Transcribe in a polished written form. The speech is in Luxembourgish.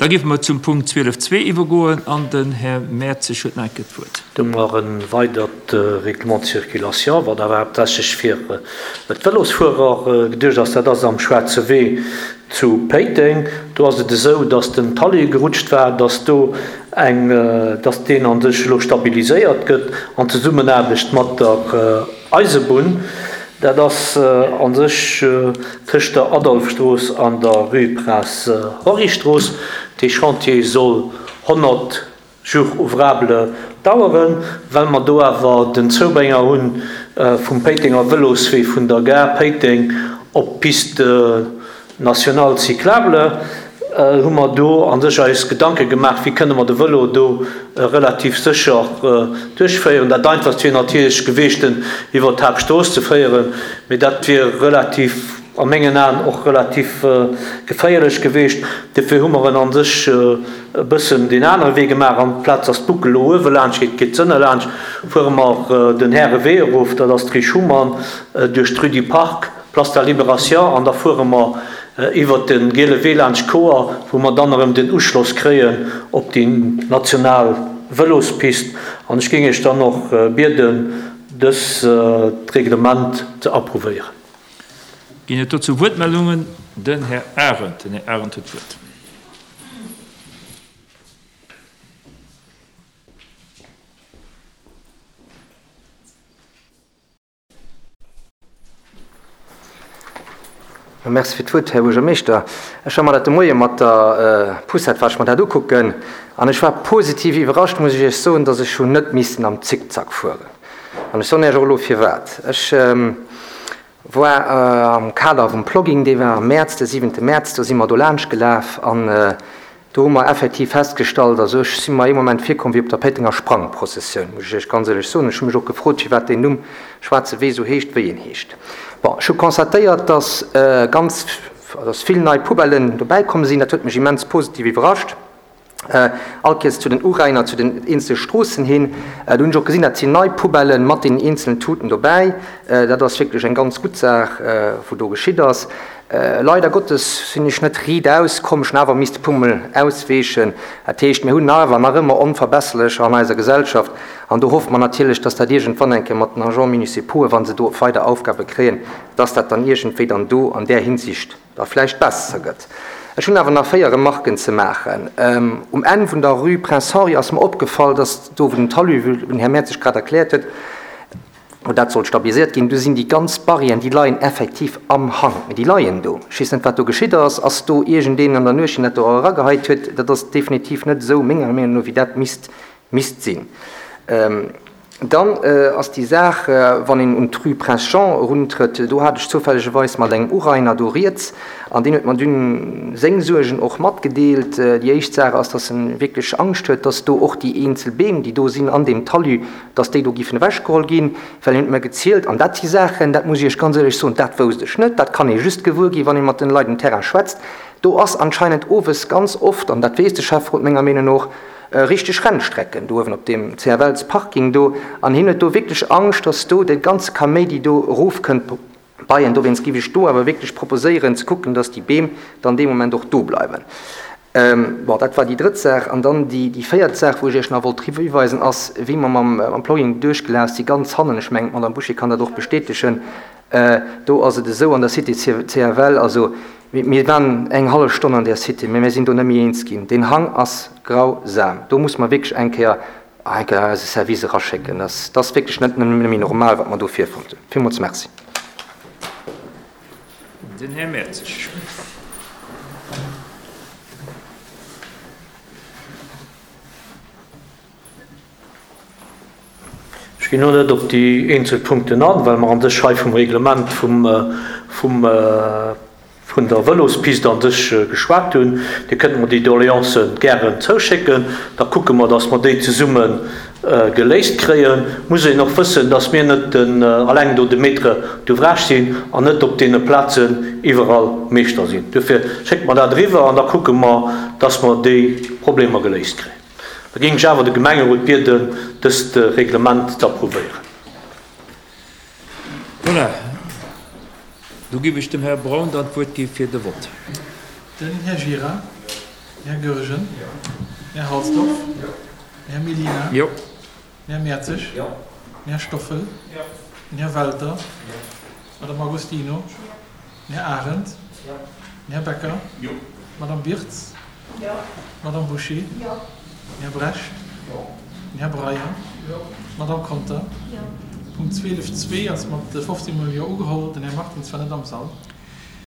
Da géife mer zum Punkt 12.2 iwwergoen an den Här Mertzig huet nach eng Kéier d'Wuert. Do hu mer e weidert Règlement de circulation, wat awer haaptsächlech fir d'Vëlosfuerer geduecht ass. Dat ass am Schwaarze Wee zu Péiteng. Do ass et esou, dass den Talus gerutscht war, dass do eng, dass deen a sech elo stabiliséiert gëtt an Zesummenaarbecht mat der Eisebunn. Dat ass a sech tëscht der Adolphe-Strooss an der Rue Prince Henri-Strooss. Dee Chantier soll 100 Jours ouvrables daueren. Well mer do awer den Zoubrénger hu vum Péitenger Vëloswee vun der Gare Péiteng op d'Piste nationale cyclable, hu mer do a sech eis Gedanke gemaach, wéi kënne mer de Vëlo do relativ sécher duerchféieren. Dat einfachst wier natierlech geweecht, en iwwer d'Haaptstrooss ze féieren, mee dat wier relativ, a mengen Aen och relativ geféierlech geweecht. Dofir hu mer en a sech e bëssen deen anere Wee gemaach. Amplaz dass d'Buckel elo uewe laanscht geet, geet s'ënne laanscht, fuere mer den Härewee erof, dat ass d'Rue Schuman, duerch d'Rue du Parc, Place de la Libération an da fuere mer iwwert de Giele Wee laanscht d'Koer, wou mer dann erëm den Uschloss kréien op déi national Vëlospist. An ech géing Iech dann och bieden, dëst Reglement ze approuvéieren. Ginn et dozou Wuertmeldungen? Den Här Arendt. Den Här Arendt huet d'Wuert. Merci fir d'Wuert, Här Buergermeeschter. Ech war mer dat de Moie mat der Poussette war ech mer dat ukucken an ech war positiv iwwerrascht, muss ech Iech soen, dass ech hunn net missen am Zickzack fueren. An ech soen Iech och elo firwat. Ech war am Kader vum Plogging, dee war am Mäerz, de siwente Mäerz, do si mer do laanscht gelaf an Do hu mer effektiv festgestallt, also ech si mer ee Moment virkomm wéi op der Péitenger Sprangprozessioun, muss ech Iech ganz éierlech soen. Ech hu mech och gefrot, firwat deen Numm Schwaarze Wee esou heescht, wéi en heescht. Bon, ech hu constatéiert, dass ganz, dass vill nei Poubellen dobäi komm sinn. Dat huet mech immens positiv iwwerrascht. All Kéiers zu den Urainer, zu den eenzele Stroossen hin. Do hunn ech och gesinn, dat sinn nei Poubellen mat deenen eenzelen Tuten dobäi. Dat ass wierklech eng ganz gutt Saach, wou do geschitt ass. Leider Gottes sinn ech net riitaus komm, ech hunn awer misste puermol ausweechen. Dat heescht, mir hunn awer nach ëmmer Onverbesserlecher an eiser Gesellschaft an do hoffe mer natierlech, dass dat iergendwann eng Kéier mat den Agents municipauxen, wa se do weider Aufgabe kréien, dass dat dann iergendwéi dann do an där Hinsicht da vläicht besser gëtt. Ech hunn awer nach 4 Remarken ze maachen. Um Enn vun der Rue Prince Henri ass mer opgefall, dass do, wou den Talus, wou den Här Mertzig grad erkläert huet, Wou dat soll stabiliséiert ginn, do sinn déi ganz Barrièren, déi leien effektiv am Hang, mee déi leien do. Ech weess net, wat do geschitt ass. Ass do iergendeen an der Nuecht, deen dat do erageheit huet? Dat ass definitiv net esou, menger Meenung no, wéi dat misst, misst sinn. Dann ass déi Saach, wann een un d'Rue Prince Jean eruntrëtt, do hat ech zoufällegerweis mat engem Urainer do rieds an deen huet mer dunn seng Suergen och matgedeelt. Déi éischt Saach ass, dass en wierklech Angscht huet, dass do och déi eenzel Beem, déi do sinn an deem Talus, dass déi do giffen ewechgeholl ginn, well hien huet mer gezielt, an dat si Saachen, dat muss ech Iech ganz éierlech soen, dat wousst ech net, dat kann ee just gewuer ginn, wann ee mat den Leit um Terrain schwätzt, do ass anscheinend owes ganz oft, an dat weess de Schäfferot menger Meenung no och, richteg Rennstrecken do uewen op deem CFLs Parking do, an hien huet do wierklech Angscht, dass do dee ganze Kaméidi do erofkënnt bei en. Dowéinst giff ech do awer wierklech proposéieren ze kucken, dass déi Beem dann dee Moment och do bleiwen. Bon, dat war déi drëtt Saach. An dann déi véiert Saach, wou ech Iech nach wollt drop hiweisen, ass, wéi mer mam Plogging duerchgelaf si ganz hannen, ech mengen, d'Madame Bouché kann dat och bestätegen, do ass et esou an der Cité CFL, also mir waren eng hallef Stonn an där Cité, mä mir sinn do net méi eens ginn. Deen Hang ass grausam. Do muss mer wierklech eng Kéier, eng Kéier eise Service eraschécken. Dat ass wierklech net méi normal, wat mer do virfonnt hunn. Villmools Merci. Den Här Mertzig. Ech ginn elo net op déi eenzel Punkten an, well mer an sech hei vum Reglement vum, vum, vun der Vëlospist an sech geschwat hunn. Dir kënnt mer déi Doleancen gären zouschécken, da kucke mer, dass mer déi zesumme geléist kréien. Muss een och wëssen, dass mir net den alleng do de Maître d'ouvrage sinn an net op deene Plazen iwwerall Meeschter sinn. Duerfir schéckt mer dat eriwwer an da kucke mer, dass mer déi Problemer geléist kréien. Da géing ech awer de Gemengerot bieden, dëst Reglement ze approuvéieren. Voilà, do géif ech dem Här Braun dann d'Wuert gi fir de Vott. Den Här Gira. Den Här Goergen. Den Här Halsdorf. Den Här Mellina. Den Här Mertzig. Den Här Stoffel. Den Här Welter. D'Madame Agostino. Den Här Arendt. Den Här Becker. D'Madame Birtz. D'Madame Bouché. Den Här Brecht. Den Här Breyer. D'Madame Conter. Punkt 12 zwee ass mat 15 mol Jo ugeholl. Den Här Martins war net am Sall.